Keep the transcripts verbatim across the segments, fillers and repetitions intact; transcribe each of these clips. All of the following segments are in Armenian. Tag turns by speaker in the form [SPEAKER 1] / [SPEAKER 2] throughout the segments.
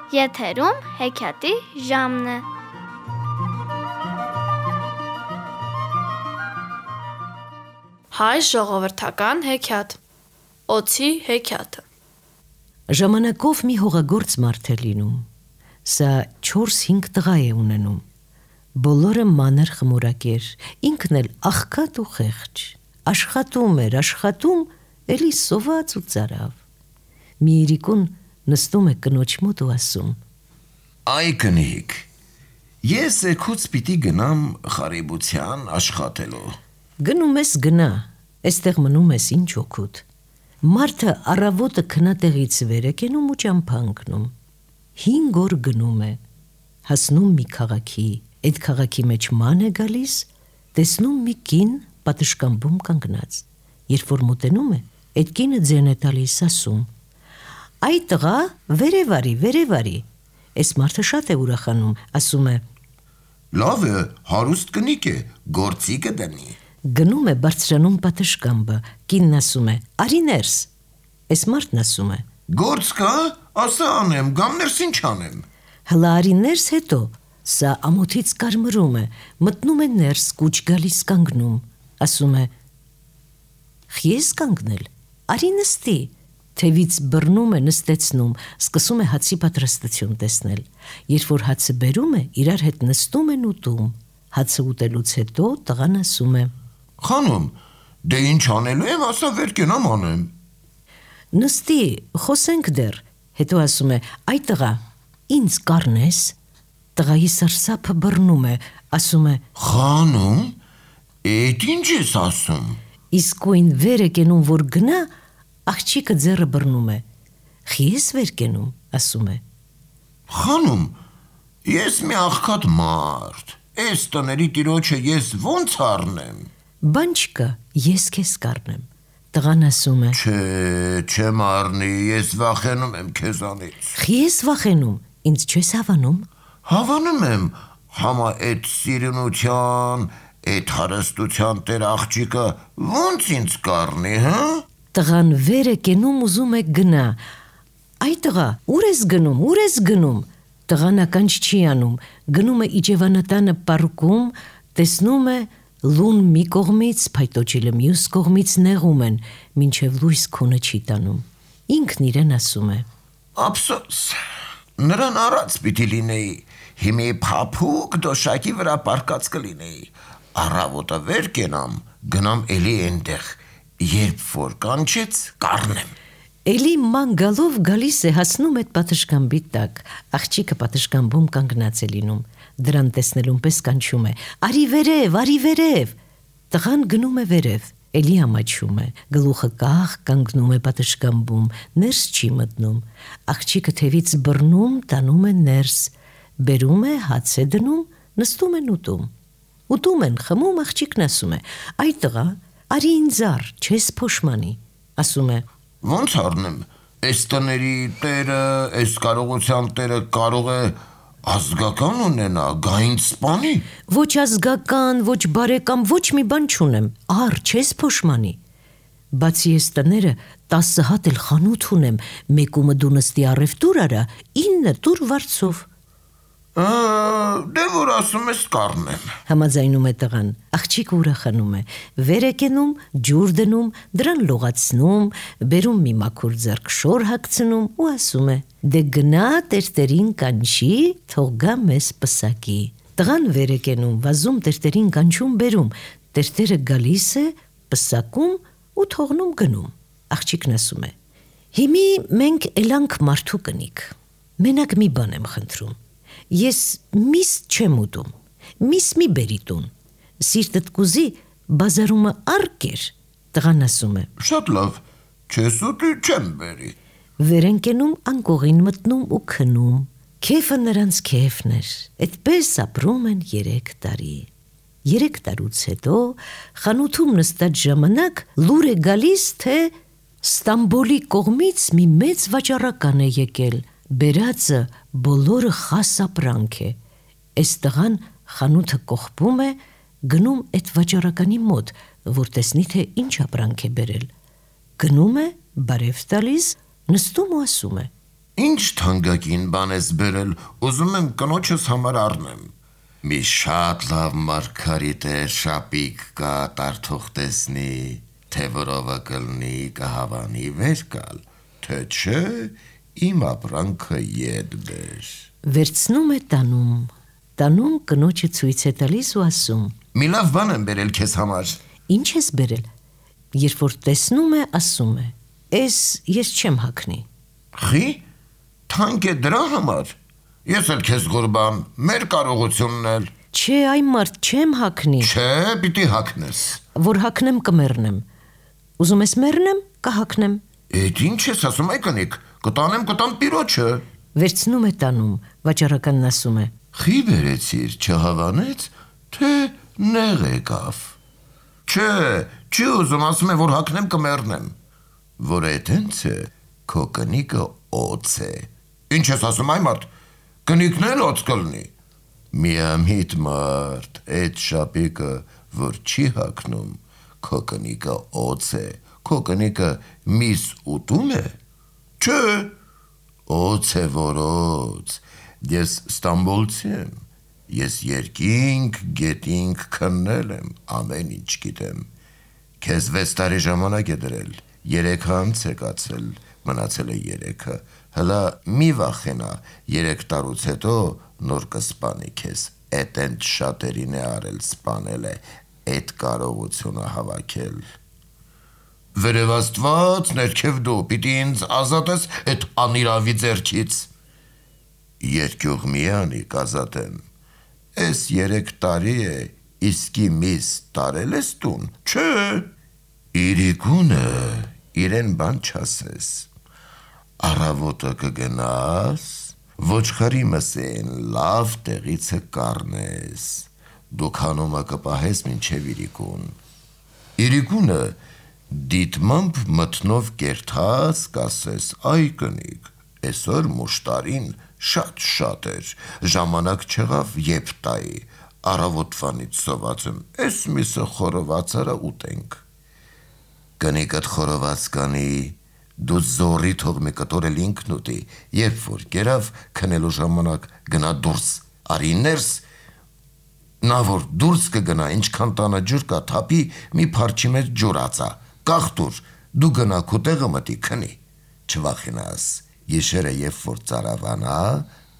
[SPEAKER 1] Եթերում հեքիաթի ժամն է։
[SPEAKER 2] Հայ ժողովրդական հեքիաթ։ Օձի հեքիաթը։
[SPEAKER 3] Ժամանակով մի հողագործ մարդ է լինում։ Սա չորս-հինգ տղա է ունենում։ Բոլորը մանր խմորակեր, ինքն էլ աղքատ ու խեղճ։ Աշխատում էր, աշխատում, էլի սոված ու ծարավ։ Մի երիկուն նստում է կնոջ մոտ ու ասում.
[SPEAKER 4] Այ կնիկ, ես էքուց պիտի գնամ խարիբության աշխատելու։
[SPEAKER 3] Գնում ես գնա, էստեղ մնում ես ինչ օգուտ։ Մարդը առավոտը քնատեղից վեր է կենում ու ճամփա ընկնում։ Հինգ օր գնում է, հասնում մի քաղաքի, այդ քաղաքի մեջ ման է գալիս, տեսնում մի կին պատշգամբում կանգնած։ Երբ որ մոտենում է, այդ կինը ձեն է տալիս, ասում. Այ տղա, վերև արի, վերև արի։ Այս մարդը շատ է ուրախանում, ասում է.
[SPEAKER 4] Լավ է, հարուստ կնիկ է, գործի կդնի։
[SPEAKER 3] Գնում է բարձրանում պատշգամբը, կինն ասում է. Արի ներս։ Այս մարդն ասում է.
[SPEAKER 4] Գործ կա, ասա անեմ, գամ ներս ինչ անեմ։
[SPEAKER 3] Հլա արի ներս, հետո սա ամոթից կարմրում է, մտնում է ներս, կուչ գալիս կանգնում, ասում է. Խի ես կանգնել, արի նստի, թևից բռնում է, նստեցնում, սկսում է հացի պատրաստություն տեսնել, երբ որ հացը բերում է, իրար հետ նստում են ուտում, հացը ուտելուց հետո տղան ասում է.
[SPEAKER 4] Խանոմ, դե ինչ անելու եմ, ասա վեր կենամ անեմ։
[SPEAKER 3] Նստի, խոսենք դեռ, հետո ասում է. Այ տղա, ինձ կառնես։ Տղայի սարսափը բռնում է, ասում է.
[SPEAKER 4] Խանոմ, էդ ինչ ես ասում։
[SPEAKER 3] Իսկույն վեր է կենում, որ գնա, աղջիկը ձեռը բռնում է։ Խի ես վեր կենում, ասում է.
[SPEAKER 4] Խանոմ, ես մի աղքատ մարդ, այս տների տիրոջը ես ոնց առնեմ։
[SPEAKER 3] Բան չկա, ես քեզ կառնեմ։ Տղան ասում է.
[SPEAKER 4] Չէ, չեմ առնի, ես վախենում եմ քեզանից։
[SPEAKER 3] Խի ես վախենում, ինձ չես հավանում։
[SPEAKER 4] Հավանում եմ, համա այդ սիրունության, այդ հարստության տեր աղջիկը ոնց ինձ կառնի, հա։
[SPEAKER 3] Տղան վեր է կենում, ուզում է գնա։ Այ տղա, ուր ես գնում, ուր ես գնում։ Տղան ականջ չի անում, գնում է իջևանատանը պառկում, տեսնում է լուն մի կողմից, փայտոջիլը մյուս կողմից նեղում են, մինչև լույս քունը չի տանում։ Ինքն իրեն ասում է.
[SPEAKER 4] Ափսոս, նրան առած պիտի լինեի, հիմի փափուկ դոշակի վրա պարկած կլինեի, առավոտը վեր կենամ, գնամ էլի այնտեղ, երբ որ կանչեց, կառնեմ։
[SPEAKER 3] Էլի ման գալով գալիս է, հասնում այդ պատշգամբի տակ, աղջիկը պատշգամբում կանգնած է լինում, դրան տեսնելուն պես կանչում է. Արի վերև, արի վերև։ Տղան գնում է վերև, էլի ամաչում է, գլուխը կախ կանգնում է պատշգամբում, ներս չի մտնում, աղջիկը թևից բռնում, տանում է ներս, բերում է, հաց է դնում, նստում են ուտում։ Ուտում են, խմում, աղջիկն ասում է. Այ տղա, արի ինձ առ, չես փոշմանի, ասում է.
[SPEAKER 4] Ոնց առնեմ, այս տների տերը, այս կարողության տերը կարող է ազգական ունենա, գա ինձ սպանի։
[SPEAKER 3] Ոչ ազգական, ոչ բարեկամ, ոչ մի բան չունեմ, առ, չես փոշմանի։ Բացի ես տները, տասը հատ էլ խանութ ունեմ, մեկումը դու նստի առևտուր արա, ինը տուր վարձով։
[SPEAKER 4] Դե որ ասում ես կառնեմ։
[SPEAKER 3] Համաձայնում է տղան, աղջիկը ուրախանում է, վեր է կենում, ջուր դնում, դրան լողացնում, բերում մի մաքուր ձեռք շոր հագցնում ու ասում է. Դե գնա տերտերին կանչի, թող գա մեզ պսակի։ Տղան վեր է կենում, վազում տերտերին կանչում, բերում, տերտերը գալիս է, պսակում ու թողնում գնում։ Աղջիկն ասում է. Հիմի մենք էլանք մարդու կնիկ, մենակ մի բան եմ խնդրում։ Ես միս չեմ ուտում, միս մի բերի տուն, սիրտդ կուզի բազարումը արկեր, տղան ասում է.
[SPEAKER 4] Շատ լավ, չես ուտի չեմ բերի։
[SPEAKER 3] Վեր են կենում, անկողին մտնում ու քնում, քեֆը նրանց քեֆն էր, այդպես ապրում են երեք տարի։ Երեք տարուց հետո խանութում նստած ժամանակ լուր է գալիս, թե Ստամբոլի կողմից մի մեծ վաճառական է եկել, բերածը բոլորը խաս ապրանք է։ Այս տղան խանութը կողպում է, գնում այդ վաճառականի մոտ, որ տեսնի թե ինչ ապրանք է բերել։ Գնում է, բարև տալիս, նստում ու ասում է.
[SPEAKER 4] Ինչ թանկագին բան ես բերել, ուզում եմ կնոջս համար առնեմ։ Մի շատ լավ մարգարիտ է, շապիկ կա, տարթող տեսնի, թե որովը կլնի կհավանի վեր կալ, թե չէ իմ ապրանքը ետ բեր։
[SPEAKER 3] Վերցնում է տանում, տանում կնոջը ցույց է տալիս ու ասում.
[SPEAKER 4] Մի լավ բան եմ բերել քեզ համար։
[SPEAKER 3] Ինչ ես բերել։ Երբ որ տեսնում է, ասում է. Էս ես չեմ հագնի։
[SPEAKER 4] Խի, թանկ է դրա համար։ Ես էլ քեզ գորբամ, մեր կարողությունն էլ։
[SPEAKER 3] Չէ, այ մարդ չեմ հագնի։
[SPEAKER 4] Չէ, պիտի հագնես։
[SPEAKER 3] Որ հագնեմ կմեռնեմ։ Ուզում ես մեռնեմ, կհագնեմ։
[SPEAKER 4] Էդ ինչ ես ասում, այ կնիկ, կտանեմ կտամ տիրոջը։
[SPEAKER 3] Վերցնում է տանում, վաճառականն ասում է.
[SPEAKER 4] Խի բերեցիր, չհավանեց, թե նեղ եկավ։ Չէ, չի ուզում, ասում է, որ հագնեմ կմեռնեմ։ Որ էդ հենց է, քո կնիկը օծ է։ Ինչ ես ասում, այ մարդ, կնիկն էլ օծ կլնի։ Միամիտ մարդ, էդ շապիկը, որ չի հագնում, քո կնիկը օծ է, քո կնիկը միս ուտում է։ Չէ, օծ է որ օծ, ես Ստամբոլցի եմ, ես երկինք, գետինք քննել եմ, ամեն ինչ գիտեմ, քեզ վեց տարի ժամանակ է դրել, երեքը անց է կացել, մնացել է երեքը, հլա մի վախենա, երեք տարուց հետո նոր կսպանի քեզ, էդ ընդ շատերին է արել սպանել է, էդ կարողությունը հավաքել։ Վերև Աստված, ներքև դու, պիտի ինձ ազատես էդ անիրավի ձեռքից։ Երկյուղ միանի կազատեմ, էս երեք տարի է, իսկի միս տարել ես տուն, չէ, իրիկունը իրեն բան չասես, առավոտը կգնաս, ոչխարի մսեն լավ տեղիցը կառնես, դու քանումը կպահես մինչև իրիկուն, իրիկունը դիտմամբ մտնով կերթած կասես, այ կնիկ, այսօր մուշտարին շատ շատ էր, ժամանակ չեղավ եբ տայի, առավոտվանից սոված եմ, էս միսը խորովածարը ուտենք։ Կնիկդ խորոված կանի, դու զորի թող մի կտորել ինքն ուտի, երբ որ կերավ քնելու ժամանակ գնա դուրս, արի ներս, նա որ դուրս կգնա, ինչքան տանը ջուր կա, թափի մի փարչի մեջ ջուր ածա, կախտուր, դու գնա քո տեղը մտի քնի, չվախենաս, Եշերը երբ որ ծարավանա,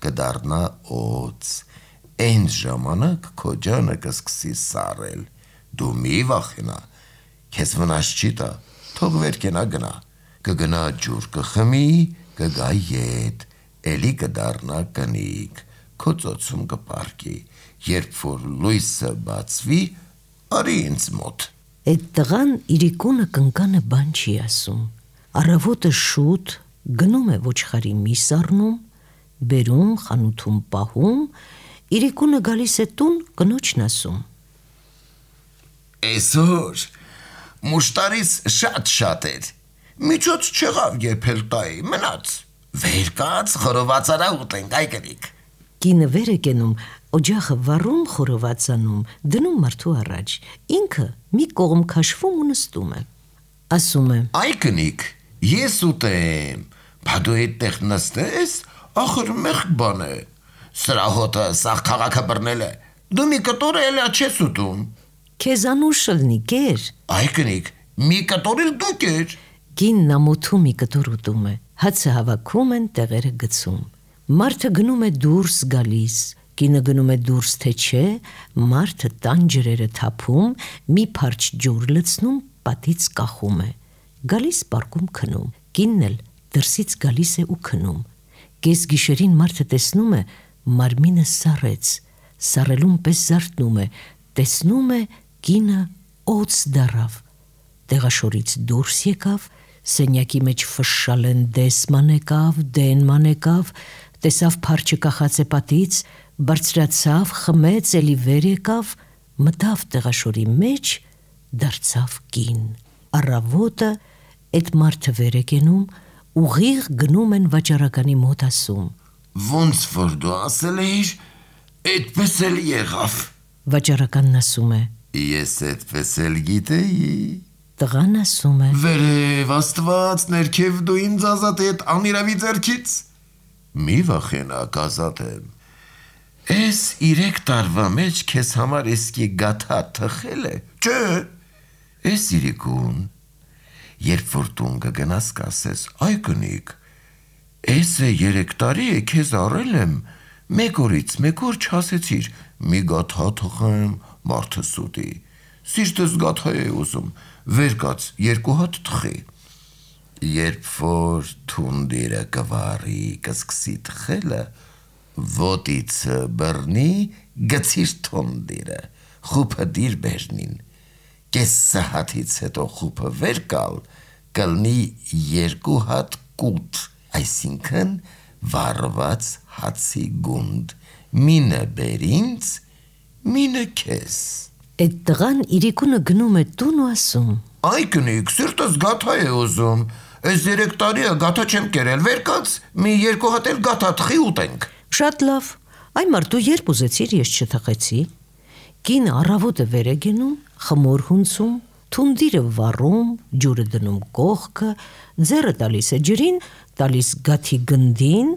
[SPEAKER 4] կդառնա օծ, այնց ժամանակ քո ջանը կսկսի սառել, դու մի վախենա, քեզ վնաս չի տա, թող վերքենա գնա, կգնա ջուր կխմի, կգա ետ, էլի կդառնա կնիկ, քո ծոցում կպարկի, երբ որ լույսը բացվի, արի ինձ մոտ։
[SPEAKER 3] Այդ տղան իրիկունը կնկանը բան չի ասում, առավոտը շուտ գնում է ոչխարի միս առնում, բերում, խանութում պահում, իրիկունը գալիս է տուն, կնոջն ասում.
[SPEAKER 4] Այսօր մուշտարից շատ շատ էր, միջոց չեղավ եփել տայի, մնաց, վեր կաց խորովածարա ուտենք, այ կնիկ։
[SPEAKER 3] Կինը վեր է կենում, օջախը վառում խորովածանում, դնում մարդու առաջ, ինքը մի կողմ քաշվում ու նստում է, ասում է.
[SPEAKER 4] Այ կնիկ, ես ուտեմ, բա դու այդտեղ նստես, ախր մեղք բան է, սրա հոտը սաղ քաղաքը բռնել է, դու մի կտոր էլա չես ուտում։
[SPEAKER 3] Քեզ անուշ լնի, կեր։
[SPEAKER 4] Այ կնիկ, մի կտոր էլ դու կեր։
[SPEAKER 3] Կինն ամոթում մի կտոր ուտում է, հացը հավաքում են, տեղերը գցում։ Մարդը գնում է դուրս գալիս, կինը գնում է դուրս թե չէ, մարդը տան ջրերը թափում, մի փարչ ջուր լցնում, պատից կախում է, գալիս պարկում քնում, կինն էլ դրսից գալիս է ու քնում, կես գիշերին մարդը տեսնում է, մարմինը սառեց, սառելուն պես զարթնում է, տեսնում է կինը օծ դարավ, տեղաշորից դուրս եկավ, սենյակի մեջ ֆշշալեն դեսման եկավ, դենման եկավ, տեսավ փարչը կախած է պատից, բարձրացավ, խմեց, էլի վեր եկավ, մտավ տեղաշորի մեջ, դարձավ կին։ Առավոտը այդ մարդը վեր է կենում, ուղիղ գնում են վաճառականի մոտ ասում.
[SPEAKER 4] Ոնց որ դու ասել էիր, այդպես էլ եղավ։
[SPEAKER 3] Վաճառականն ասում է.
[SPEAKER 4] Ես այդպես էլ գիտեի։
[SPEAKER 3] Տղան ասում է.
[SPEAKER 4] Վերև Աստված, ներքև դու ինձ ազատի այդ անիրավի ձեռքից։ Մի վախենակ, ազատ եմ։ Էս իրեք տարվա մեջ քեզ համար իսկի գաթա թխել է։ Չէ։ Էս իրիկուն, երբ որ տուն կգնաս կասես, այ կնիկ, էս է երեք տարի է քեզ առել եմ, մեկ օրից մեկ օր չասեցիր, մի գաթա թխեմ, մարդը սուտի, սիրտս գաթա է ուզում, վեր կաց երկու հատ թխի։ Երբ որ թունդիրը կվարի, կսկսի թխելը, ոտիցը բռնի, գցիր թունդիրը, խուպը դիր բերնին, կես սահաթից հետո խուպը վեր կալ, կլնի երկու հատ կուտ, այսինքն վարված հացի գունդ, մինը բերինց, մինը քեզ։
[SPEAKER 3] Այդ տղան իրիկունը գնում է տուն ու ասում.
[SPEAKER 4] Այ կնիկ, սիրտս գաթա է ուզում, այս երեք տարի է գաթա չեմ կերել, վեր կաց, մի երկու հատ էլ գաթա թխի ուտենք։
[SPEAKER 3] Շատ լավ, այ մարդ դու երբ ուզեցիր ես չթխեցի։ Կինը առավոտը վեր է գնում, խմոր հունցում, թունդիրը վառում, ջուրը դնում կողքը, ձեռը տալիս է ջրին, տալիս գաթի գնդին,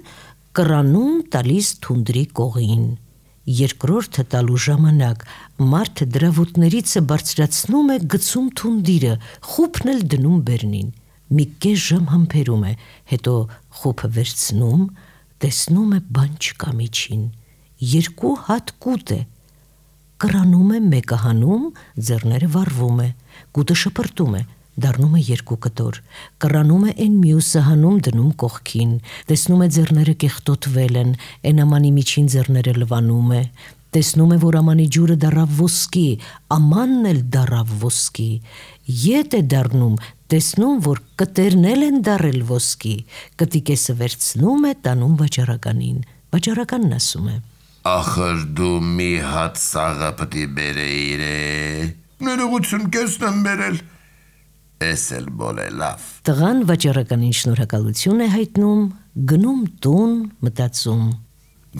[SPEAKER 3] կռանում տալիս թունդրի կողին։ Երկրորդը տալու ժամանակ մարդը դրա ոտներիցը բարձրացնում է, գցում թունդիրը, խուպն էլ դնում բերնին։ Մի կես ժամ համբերում է, հետո խուպը վերցնում, տեսնում է բան չկա միջին, երկու հատ կուտ է, կռանում է, մեկը հանում, ձեռները վառվում է, կուտը շպրտում է, դառնում է երկու կտոր, կռանում է այն մյուսը հանում դնում կողքին, տեսնում է ձեռները կեղտոտվել են, այն ամանի միջին ձեռները լվանում է, տեսնում է, որ ամանի ջուրը դառավ ոսկի, ամանն էլ դառավ ոսկի, ետ է դառնում, տեսնում, որ կտերն էլ են դառել ոսկի, կտիկեսը վերցնում է, տանում վաճառականին, վաճառականն ասում է.
[SPEAKER 4] Ախր դու մի հատ սաղը պտի բերեիր է, ներողություն կեսն եմ բերել, էս էլ բոլ է լավ։
[SPEAKER 3] Տղան վաճառականին շնորհակալություն է հայտնում, գնում տուն, մտածում.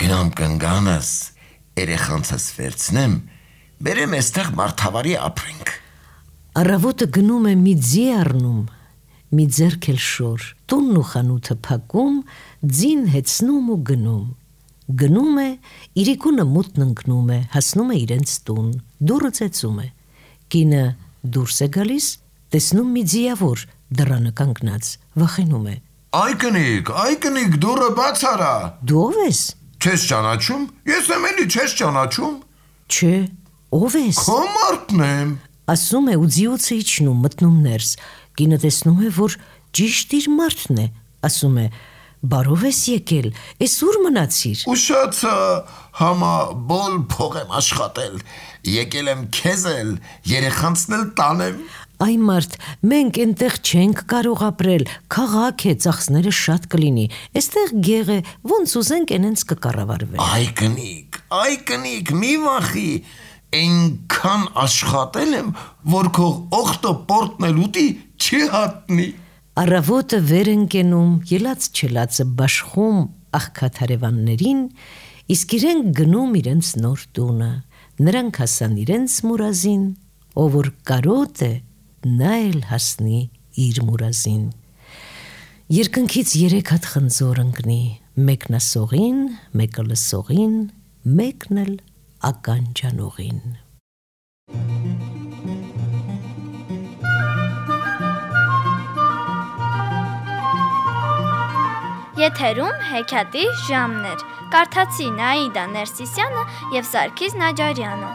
[SPEAKER 4] Գնամ կնգանս, երեխանցս վերցնեմ, բերեմ էստեղ մարդավարի ապրենք։
[SPEAKER 3] Առավոտը գնում է մի ձի առնում, մի ձեռք էլ շոր, տունն ու խանութը փակում, ձին հեծնում ու գնում։ Գնում է, իրիկունը մութն ընկնում է, հասնում է իրենց տուն, դուռը ծեծում է։ Կինը դուրս է գալիս, տեսնում մի ձիավոր դռանը կանգնած, վախենում է.
[SPEAKER 4] Այ կնիկ, այ կնիկ, դուռը բաց արա։
[SPEAKER 3] Դու ով ես։
[SPEAKER 4] Չես ճանաչում։ Ես եմ էլի չես ճանաչում։
[SPEAKER 3] Չէ, ով ես։
[SPEAKER 4] Քո մարդն եմ։
[SPEAKER 3] Ասում է ու ձիոցը իջնում, մտնում ներս։ Կինը տեսնում է, որ ճիշտ իր մարդն է, ասում է. Բարով ես եկել, ես ուր մնացիր։
[SPEAKER 4] Ուշացա, համա բոլ փող եմ աշխատել, եկել եմ քեզ էլ, երեխանցն էլ տանեմ։
[SPEAKER 3] Այ մարդ, մենք այնտեղ չենք կարող ապրել, քաղաք է, ծախսները շատ կլինի, այստեղ գեղ է, ոնց ուզենք այնենց կկառավարվենք։
[SPEAKER 4] Այ կնիկ, այ կնիկ, մի վախի, այնքան աշխատել եմ, որ քո օխտը պորտնել ուտի չի հատնի։
[SPEAKER 3] Առավոտը վեր ընկենում, ելած չելածը բաշխում աղքատ հարևաններին, իսկ իրենք գնում իրենց նոր տունը, նրանք հասան իրենց մուրազին, ով որ կարոտ է, նա էլ հասնի իր մուրազին։ Երկնքից երեք հատ խնձոր ընկնի, մեկն ասողին, մեկը լսողին, մեկն էլ ականջանողին։
[SPEAKER 1] Եթերում հեքիաթի ժամն էր։ Կարդացի Նաիդա Ներսիսյանը և Սարգիս Նաջարյանը։